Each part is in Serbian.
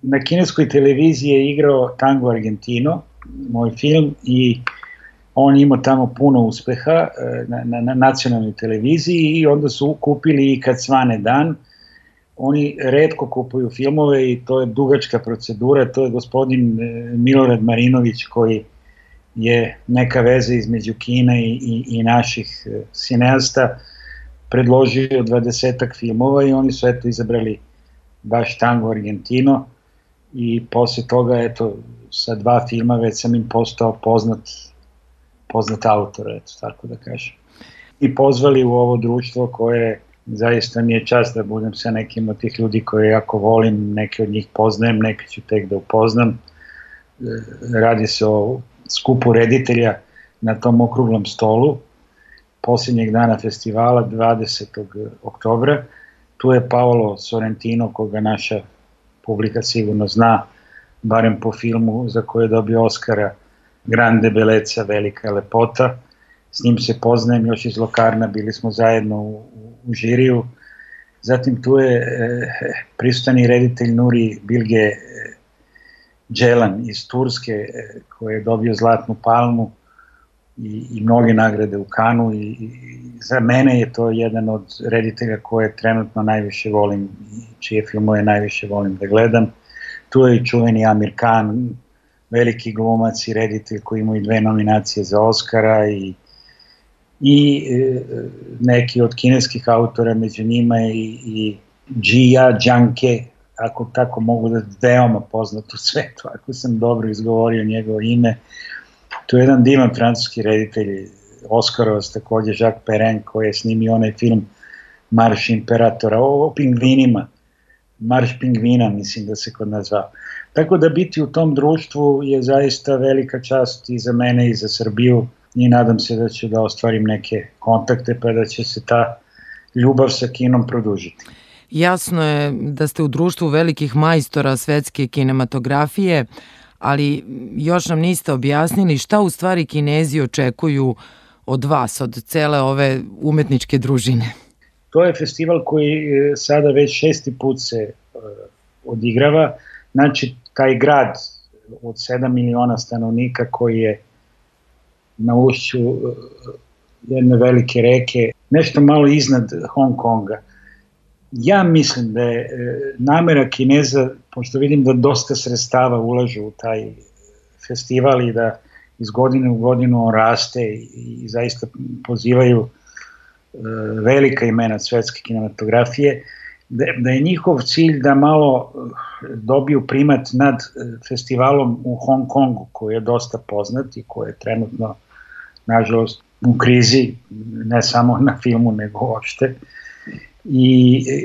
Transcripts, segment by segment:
na kineskoj televiziji je igrao Tango Argentino, moj film, i on imao tamo puno uspeha na nacionalnoj televiziji i onda su kupili i Kad svane dan. Oni retko kupuju filmove i to je dugačka procedura, to je gospodin Milorad Marinović koji je neka veza između Kine i naših sineasta, predložio 20-ak filmova i oni su eto izabrali baš Tango Argentino i posle toga eto sa 2 filma već sam im postao poznat autor, eto tako da kažem. I pozvali u ovo društvo koje zaista mi je čast da budem sa nekim od tih ljudi koje jako volim, neke od njih poznajem, neke ću tek da upoznam. Radi se o skupu reditelja na tom okruglom stolu posljednjeg dana festivala 20. oktobra. Tu je Paolo Sorrentino, koga naša publika sigurno zna, barem po filmu za koje je dobio Oscara, Grande Bellezza, velika lepota. S njim se poznajem još iz Locarna, bili smo zajedno u žiriju. Zatim tu je prisutni reditelj Nuri Bilge Ceylan iz Turske, koji je dobio Zlatnu palmu i mnoge nagrade u Kanu i za mene je to jedan od reditelja koje trenutno najviše volim i čije filmove najviše volim da gledam. Tu je i čuveni Amir Khan, veliki glumac i reditelj koji ima i 2 nominacije za Oscara i neki od kineskih autora, među njima i Jia Zhangke, ako tako mogu da veoma poznat u svetu, ako sam dobro izgovorio njegovo ime. Tu je jedan divan francuski reditelj, Oskarovac takođe, Jacques Perrin, koji je snimio onaj film Marš imperatora, o pingvinima, Marš pingvina mislim da se kod nas zvao. Tako da biti u tom društvu je zaista velika čast i za mene i za Srbiju i nadam se da ću da ostvarim neke kontakte pa da će se ta ljubav sa kinom produžiti. Jasno je da ste u društvu velikih majstora svetske kinematografije, ali još nam niste objasnili šta u stvari Kinezi očekuju od vas, od cele ove umetničke družine. To je festival koji sada već 6. put se odigrava. Znači, taj grad od 7 miliona stanovnika koji je na ušću jedne velike reke, nešto malo iznad Hong Konga. Ja mislim da je namera Kineza, pošto vidim da dosta sredstava ulažu u taj festival i da iz godine u godinu on raste i zaista pozivaju velika imena svetske kinematografije, da je njihov cilj da malo dobiju primat nad festivalom u Hong Kongu, koji je dosta poznat i koji je trenutno, nažalost, u krizi, ne samo na filmu, nego uopšte.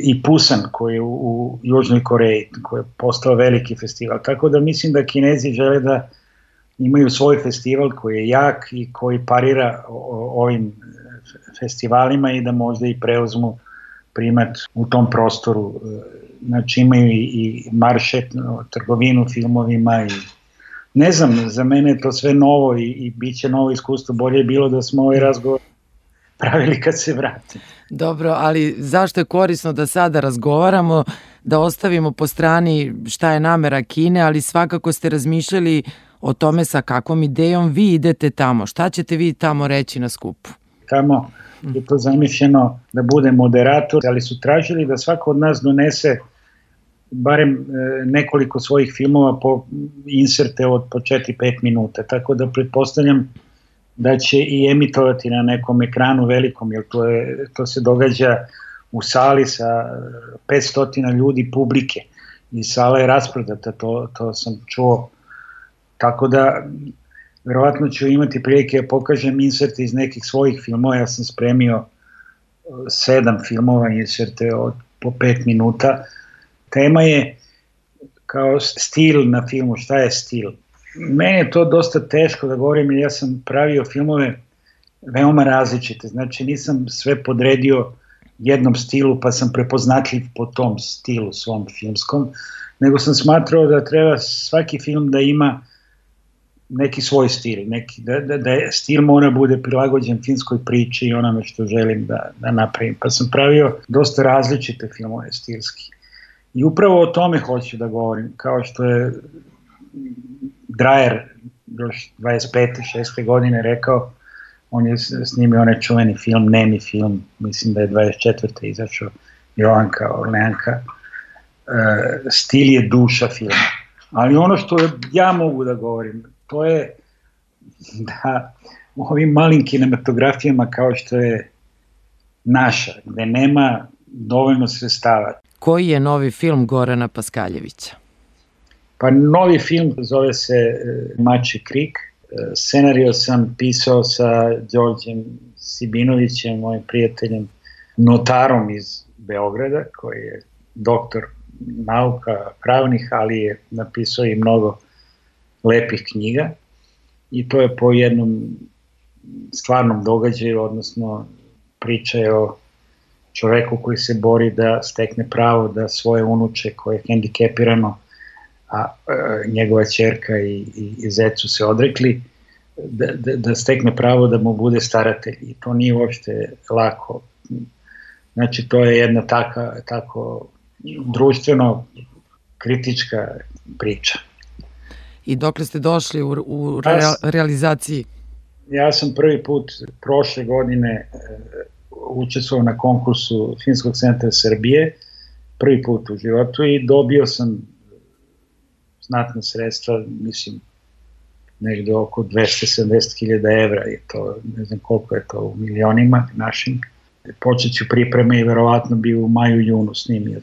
I Busan koji je u Južnoj Koreji, koji je postao veliki festival. Tako da mislim da Kinezi žele da imaju svoj festival koji je jak i koji parira ovim festivalima i da možda i preuzmu primat u tom prostoru. Znači imaju i maršet, trgovinu filmovima i ne znam, za mene je to sve novo i bit će novo iskustvo. Bolje je bilo da smo ovaj razgovor pravili kad se vratim. Dobro, ali zašto je korisno da sada razgovaramo, da ostavimo po strani šta je namera Kine, ali svakako ste razmišljali o tome sa kakvom idejom vi idete tamo. Šta ćete vi tamo reći na skupu? Tamo je to zamišljeno da bude moderator, ali su tražili da svako od nas donese barem nekoliko svojih filmova po inserte od po 4-5 minuta, tako da pretpostavljam da će i emitovati na nekom ekranu velikom, jer to se događa u sali sa 500 ljudi publike i sala je rasprodata, to sam čuo. Tako da, verovatno ću imati prilike da pokažem inserte iz nekih svojih filmova, ja sam spremio 7 filmova inserte od po 5 minuta. Tema je kao stil na filmu, šta je stil? Meni je to dosta teško da govorim, jer ja sam pravio filmove veoma različite, znači nisam sve podredio jednom stilu pa sam prepoznatljiv po tom stilu svom filmskom, nego sam smatrao da treba svaki film da ima neki svoj stil, da stil mora bude prilagođen filmskoj priči i onome što želim da napravim, pa sam pravio dosta različite filmove stilski. I upravo o tome hoću da govorim, kao što je Dreyer još 25. 6. godine rekao, on je snimio onaj čuveni film, nemi film, mislim da je 24. izašao, Jovanka Orleanka, stil je duša filma. Ali ono što ja mogu da govorim, to je da u ovim malim kinematografijama kao što je naša, gde nema dovoljno sredstava. Koji je novi film Gorana Paskaljevića? Pa novi film zove se Mačji krik. Scenario sam pisao sa Đorđem Sibinovićem, mojim prijateljem, notarom iz Beograda, koji je doktor nauka pravnih, ali je napisao i mnogo lepih knjiga. I to je po jednom stvarnom događaju, odnosno priča je o čoveku koji se bori da stekne pravo da svoje unuče koje je hendikepirano, a njegova ćerka i zecu se odrekli, da stekne pravo da mu bude staratelj. I to nije uopšte lako. Znači, to je jedna tako društveno kritička priča. I dokle ste došli u realizaciji? Ja sam prvi put prošle godine učestvovao na konkursu Filmskog centra Srbije, prvi put u životu, i dobio sam znatna sredstva, mislim, negde oko 270.000 evra, je to, ne znam koliko je to u milionima našim. Počet ću pripreme i verovatno bi u maju-junu snimio.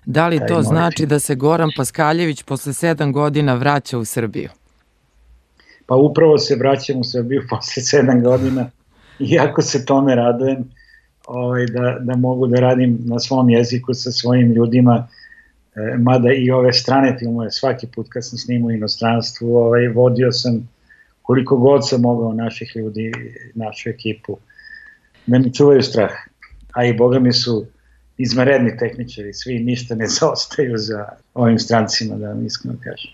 Da li to znači da se Goran Paskaljević posle 7 godina vraća u Srbiju? Pa upravo se vraćam u Srbiju posle 7 godina, iako se tome radujem, da mogu da radim na svom jeziku sa svojim ljudima, mada i ove strane filmove, svaki put kad sam snimao u inostranstvu, vodio sam koliko god sam mogao naših ljudi, našu ekipu, da mi čuvaju strah. A i boga mi su izvanredni tehničari, svi ništa ne zaostaju za ovim strancima, da vam iskreno kažem.